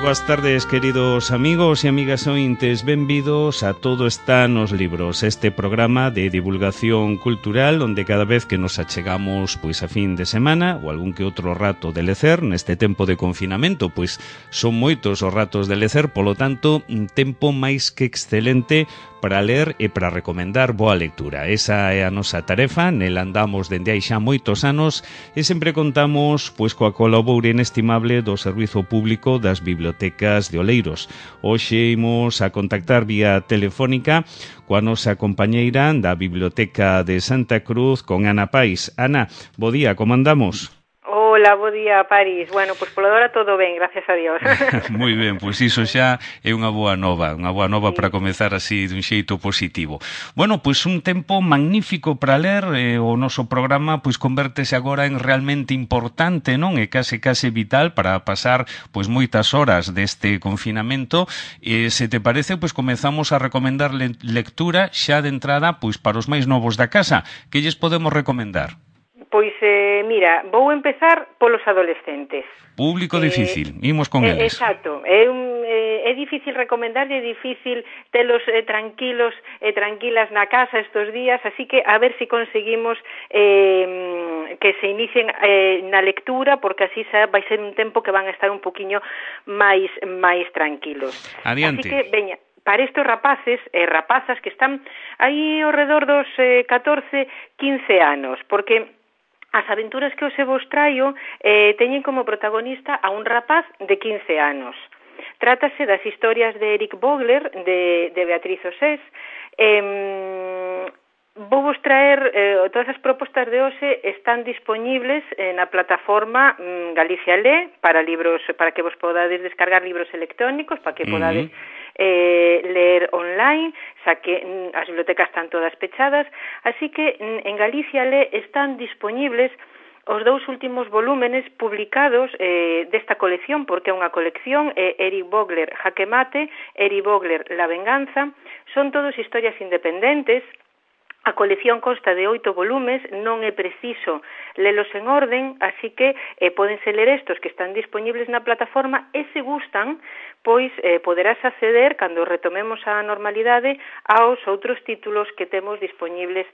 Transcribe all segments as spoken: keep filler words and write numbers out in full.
boas tardes, queridos amigos e amigas ointes. Benvidos a Todo está nos libros, este programa de divulgación cultural onde cada vez que nos achegamos pois a fin de semana ou algún que outro rato de lecer, neste tempo de confinamento, pois son moitos os ratos de lecer, polo tanto, un tempo máis que excelente para ler e para recomendar boa lectura. Esa é a nosa tarefa, nel andamos dende hai xa moitos anos e sempre contamos pois coa colaboración inestimable do Servizo Público das Bibliotecas de Oleiros. Hoxe imos a contactar vía telefónica coa nosa compañeira da Biblioteca de Santa Cruz, con Ana Pais. Ana, bo día, como andamos? Hola, bo día, París. Bueno, pois polo hora todo ben, gracias a Dios. Moi ben, pois iso xa é unha boa nova, unha boa nova sí. Para comezar así dun xeito positivo. Bueno, pois un tempo magnífico para ler, eh, o noso programa pois convértese agora en realmente importante, non? E case case vital para pasar pois moitas horas deste confinamento. E se te parece, pois comezamos a recomendar le lectura xa de entrada pois para os máis novos da casa. Que lles podemos recomendar? Pois, eh, mira, vou empezar polos adolescentes. Público difícil, eh, imos con eh, eles. Exacto, é, un, eh, é difícil recomendarlle, é difícil telos eh, tranquilos e eh, tranquilas na casa estos días, así que a ver se si conseguimos eh, que se inicien eh, na lectura, porque así xa vai ser un tempo que van a estar un poquinho máis máis tranquilos. Adiante. Así que, veña, para estes rapaces e eh, rapazas que están aí ao redor dos eh, catorce, quince anos, porque as aventuras que hoxe vos traio eh, teñen como protagonista a un rapaz de quince anos. Trátase das historias de Eric Vogler, de, de Beatriz Osés. Eh, vou vos traer, eh, todas as propostas de hoxe están disponibles eh, na plataforma mm, Galicia Lé, para libros, para que vos podades descargar libros electrónicos, para que podades eh, ler online, xa que mm, as bibliotecas están todas pechadas, así que mm, en Galicia Lé están disponibles os dous últimos volúmenes publicados eh, desta colección, porque é unha colección, eh, Eric Vogler, Jaque Mate, Eric Vogler, La Venganza, son todos historias independentes. A colección consta de oito volumes, non é preciso lelos en orden, así que eh, podense ler estos que están disponibles na plataforma e se gustan, pois eh, poderás acceder, cando retomemos a normalidade, aos outros títulos que temos disponibles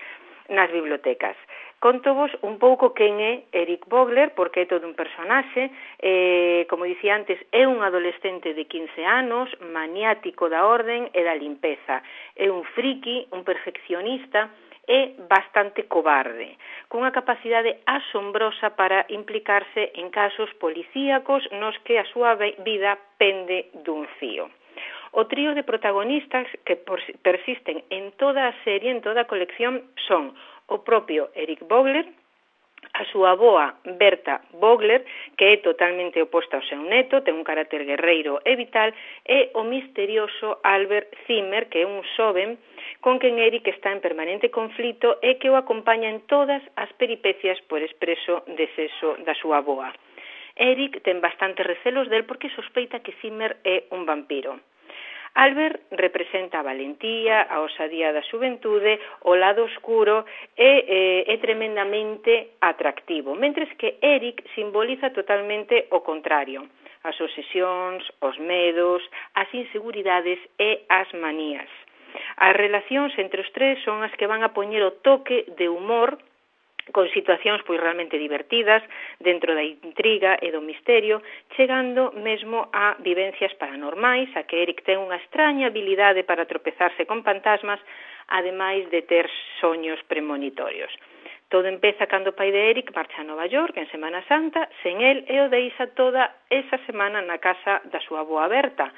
nas bibliotecas. Contovos un pouco quen é Eric Vogler, porque é todo un personaxe, eh, como dicía antes, é un adolescente de quince anos, maniático da orden e da limpeza. É un friki, un perfeccionista e bastante cobarde, cunha capacidade asombrosa para implicarse en casos policíacos nos que a súa vida pende dun fío. O trío de protagonistas que persisten en toda a serie, en toda a colección, son o propio Eric Vogler, a súa avoa Berta Vogler, que é totalmente oposta ao seu neto, ten un carácter guerreiro e vital, e o misterioso Albert Zimmer, que é un xoven con quen Eric está en permanente conflito e que o acompaña en todas as peripecias por expreso desexo da súa avoa. Eric ten bastantes recelos del porque sospeita que Zimmer é un vampiro. Albert representa a valentía, a osadía da xuventude, o lado oscuro e eh, é tremendamente atractivo, mentres que Eric simboliza totalmente o contrario, as obsesións, os medos, as inseguridades e as manías. As relacións entre os tres son as que van a poñer o toque de humor con situacións pois realmente divertidas dentro da intriga e do misterio, chegando mesmo a vivencias paranormais, a que Eric ten unha extraña habilidade para tropezarse con fantasmas, ademais de ter soños premonitorios. Todo empeza cando o pai de Eric marcha a Nova York en Semana Santa, sen el e o deixa toda esa semana na casa da súa avoa Berta.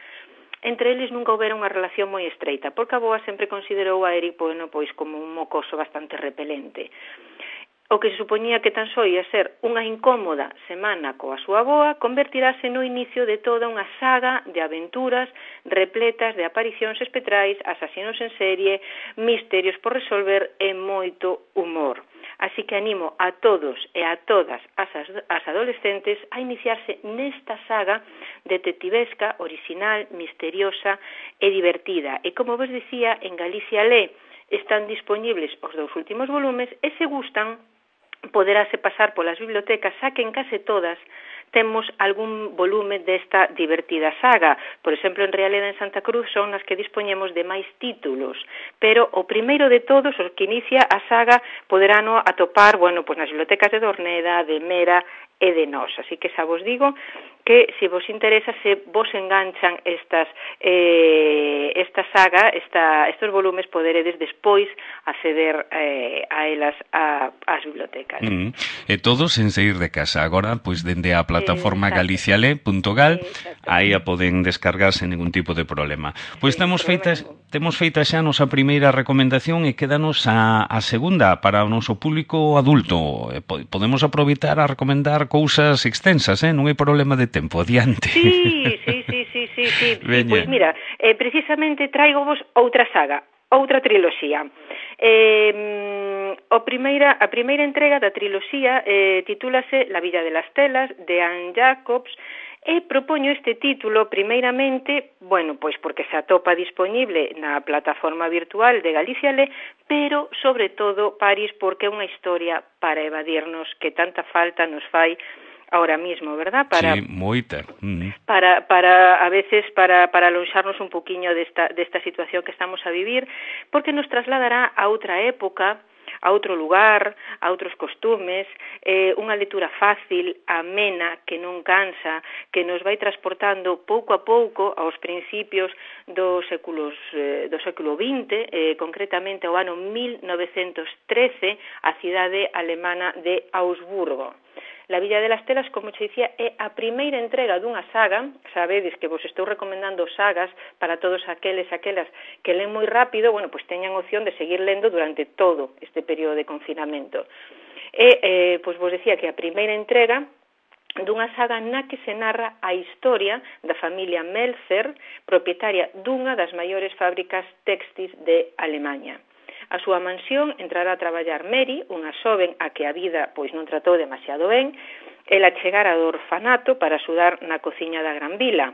Entre eles nunca houbera unha relación moi estreita, porque a avoa sempre considerou a Eric bueno, pois como un mocoso bastante repelente. O que se supoñía que tan só ia ser unha incómoda semana coa súa avoa convertirase no inicio de toda unha saga de aventuras repletas de aparicións espectrais, asasinos en serie, misterios por resolver e moito humor. Así que animo a todos e a todas as, as adolescentes a iniciarse nesta saga detectivesca, original, misteriosa e divertida. E como vos dicía, en Galicia Lé están disponibles os dous últimos volumes e se gustan poderáse pasar polas bibliotecas, xa que en case todas temos algún volume desta divertida saga. Por exemplo, en Realidade en Santa Cruz son as que dispoñemos de máis títulos, pero o primeiro de todos, os que inicia a saga, poderano atopar, bueno, pois nas bibliotecas de Dorneda, de Mera e de Nós. Así que xa vos digo que se vos interesa, se vos enganchan estas eh, esta saga, esta, estos volumes, poderedes despois acceder eh, a elas a, as bibliotecas. Mm. E todos sen sair de casa. Agora, pois, dende a plataforma galiciale punto gal, aí a poden descargar sen ningún tipo de problema. Pois sí, temos feitas, temos feita xa a nosa primeira recomendación e quédanos a, a segunda para o noso público adulto. Podemos aproveitar a recomendar cousas extensas, eh? Non hai problema de tempo. Adiante. Sí, sí, sí, sí, sí, sí. sí. Pois mira, eh, precisamente traigo vos outra saga, outra triloxía. Eh, o primeira, a primeira entrega da triloxía eh, titúlase La Villa de las Telas, de Anne Jacobs, e propoño este título primeiramente, bueno, pois porque se atopa disponible na plataforma virtual de Galiciale, pero sobre todo, Paris, porque é unha historia para evadirnos que tanta falta nos fai ahora mismo, ¿verdad? Para, sí, moita. Mm. Para, para, a veces, para, para alonxarnos un poquinho desta, desta situación que estamos a vivir, porque nos trasladará a outra época, a outro lugar, a outros costumes, eh, unha lectura fácil, amena, que non cansa, que nos vai transportando pouco a pouco aos principios dos séculos, eh, do século vinte, eh, concretamente ao ano mil novecentos trece, a cidade alemana de Augsburgo. La Villa de las Telas, como che dicía, é a primeira entrega dunha saga. Sabedes que vos estou recomendando sagas para todos aqueles aquelas que leen moi rápido, bueno, pois teñan opción de seguir lendo durante todo este período de confinamento. E, eh, pois vos decía que a primeira entrega dunha saga na que se narra a historia da familia Melzer, propietaria dunha das maiores fábricas textis de Alemanha. A súa mansión entrará a traballar Mary, unha xoven a que a vida pois non tratou demasiado ben. Ela chegara do orfanato para axudar na cociña da Gran Vila.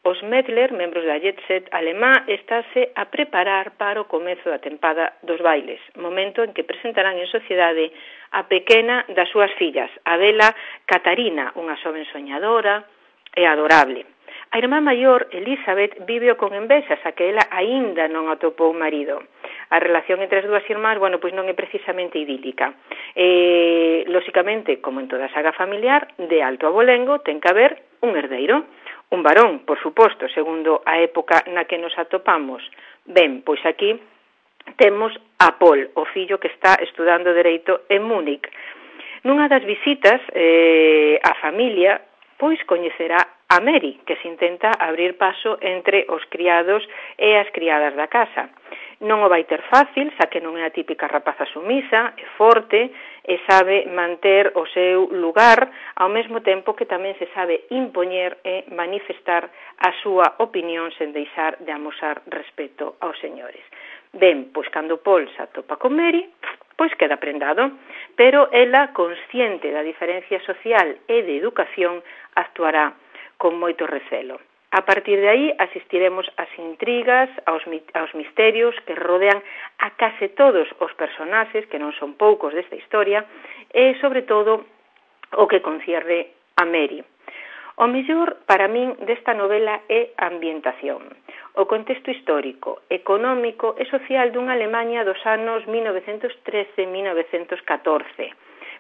Os Medler, membros da jet set alemá, estáse a preparar para o comezo da tempada dos bailes, momento en que presentarán en sociedade a pequena das súas fillas, a bela Catarina, unha xoven soñadora e adorable. A irmá maior, Elizabeth, viveo con envexa, xa que ela aínda non atopou marido. A relación entre as dúas irmás, bueno, pois non é precisamente idílica. Eh, lóxicamente, como en toda saga familiar, de alto abolengo ten que haber un herdeiro, un varón, por suposto, segundo a época na que nos atopamos. Ben, pois aquí temos a Paul, o fillo que está estudando Dereito en Múnich. Nunha das visitas eh, a familia, pois coñecerá a Mary, que se intenta abrir paso entre os criados e as criadas da casa. Non o vai ter fácil, xa que non é a típica rapaza sumisa, é forte e sabe manter o seu lugar, ao mesmo tempo que tamén se sabe impoñer e manifestar a súa opinión sen deixar de amosar respeto aos señores. Ben, pois cando Paul se atopa con Mary, pois queda prendado, pero ela, consciente da diferencia social e de educación, actuará con moito recelo. A partir de aí asistiremos ás intrigas, aos, aos misterios que rodean a case todos os personaxes, que non son poucos desta historia, e, sobre todo, o que concierne a Mary. O mellor, para min, desta novela é a ambientación, o contexto histórico, económico e social dunha Alemanha dos anos mil novecentos trece a mil novecentos catorce.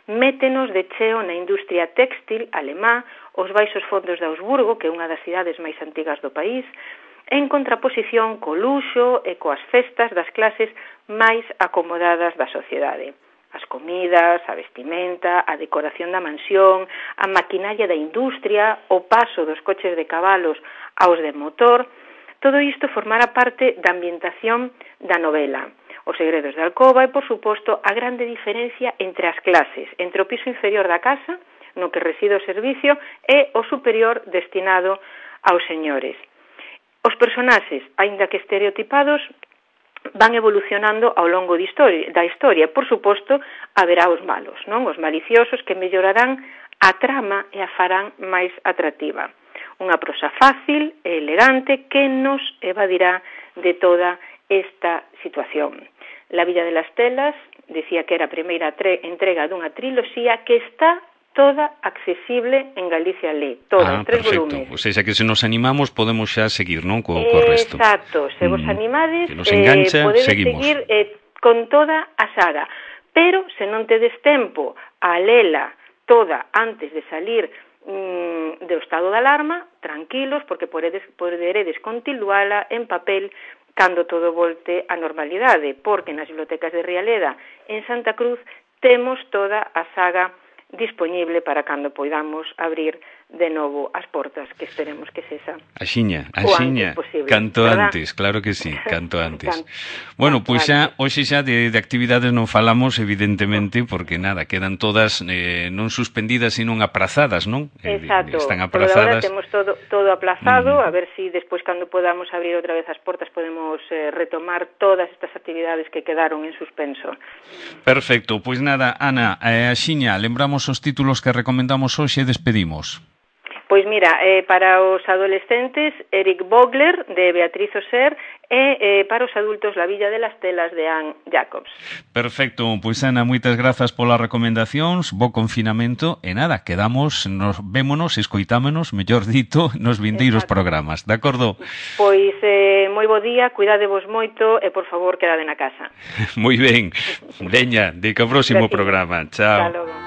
Métenos de cheo na industria téxtil alemá, os baixos fondos de Augsburgo, que é unha das cidades máis antigas do país, en contraposición co luxo e coas festas das clases máis acomodadas da sociedade. As comidas, a vestimenta, a decoración da mansión, a maquinaria da industria, o paso dos coches de cabalos aos de motor, todo isto formará parte da ambientación da novela. Os segredos da alcoba e, por suposto, a grande diferencia entre as clases, entre o piso inferior da casa, no que reside o servicio, e o superior destinado aos señores. Os personaxes, aínda que estereotipados, van evolucionando ao longo de historia, da historia. Por suposto, haberá os malos, non? Os maliciosos que mellorarán a trama e a farán máis atractiva. Unha prosa fácil e elegante que nos evadirá de toda esta situación. La Villa de las Telas, decía que era a primeira tre- entrega dunha triloxía que está toda accesible en Galicia Lé, toda, ah, tres perfecto. volumes. O sea, que se nos animamos podemos xa seguir, non, co, co resto. Exacto, se vos mm, animades, que nos engancha, eh, podedes seguimos. seguir eh, con toda a saga, pero se non tedes tempo a lela toda antes de salir mm, do estado de alarma, tranquilos, porque podedes, poderedes continuala en papel cando todo volte a normalidade, porque nas bibliotecas de Rialeda en Santa Cruz temos toda a saga disponible para cando poidamos abrir de novo as portas, que esperemos que sexa axiña, o axiña, antes posible, canto ¿verdad? antes, claro que sí, canto antes. Can, bueno, pois pues xa, antes. hoxe xa de, de actividades non falamos, evidentemente, porque nada, quedan todas eh, non suspendidas, sino aprazadas, non? Exacto, Eh, están por agora aprazadas. temos todo, todo aplazado, Mm. a ver si despois cando podamos abrir outra vez as portas podemos eh, retomar todas estas actividades que quedaron en suspenso. Perfecto, pois pues nada, Ana, eh, axiña, lembramos os títulos que recomendamos hoxe e despedimos. Pois mira, eh, para os adolescentes, Eric Vogler, de Beatriz Oser, e eh, para os adultos, La Villa de las Telas, de Anne Jacobs. Perfecto, pois Ana, moitas grazas polas recomendacións, bo confinamento, e nada, quedamos, nos vémonos, escoitámonos, mellor dito, nos vindeiros Exacto. programas, de acordo? Pois eh, moi bo día, cuidadevos moito e, por favor, quedade na casa. Moi ben, veña, de que o próximo Gracias. programa, chao. Hasta logo.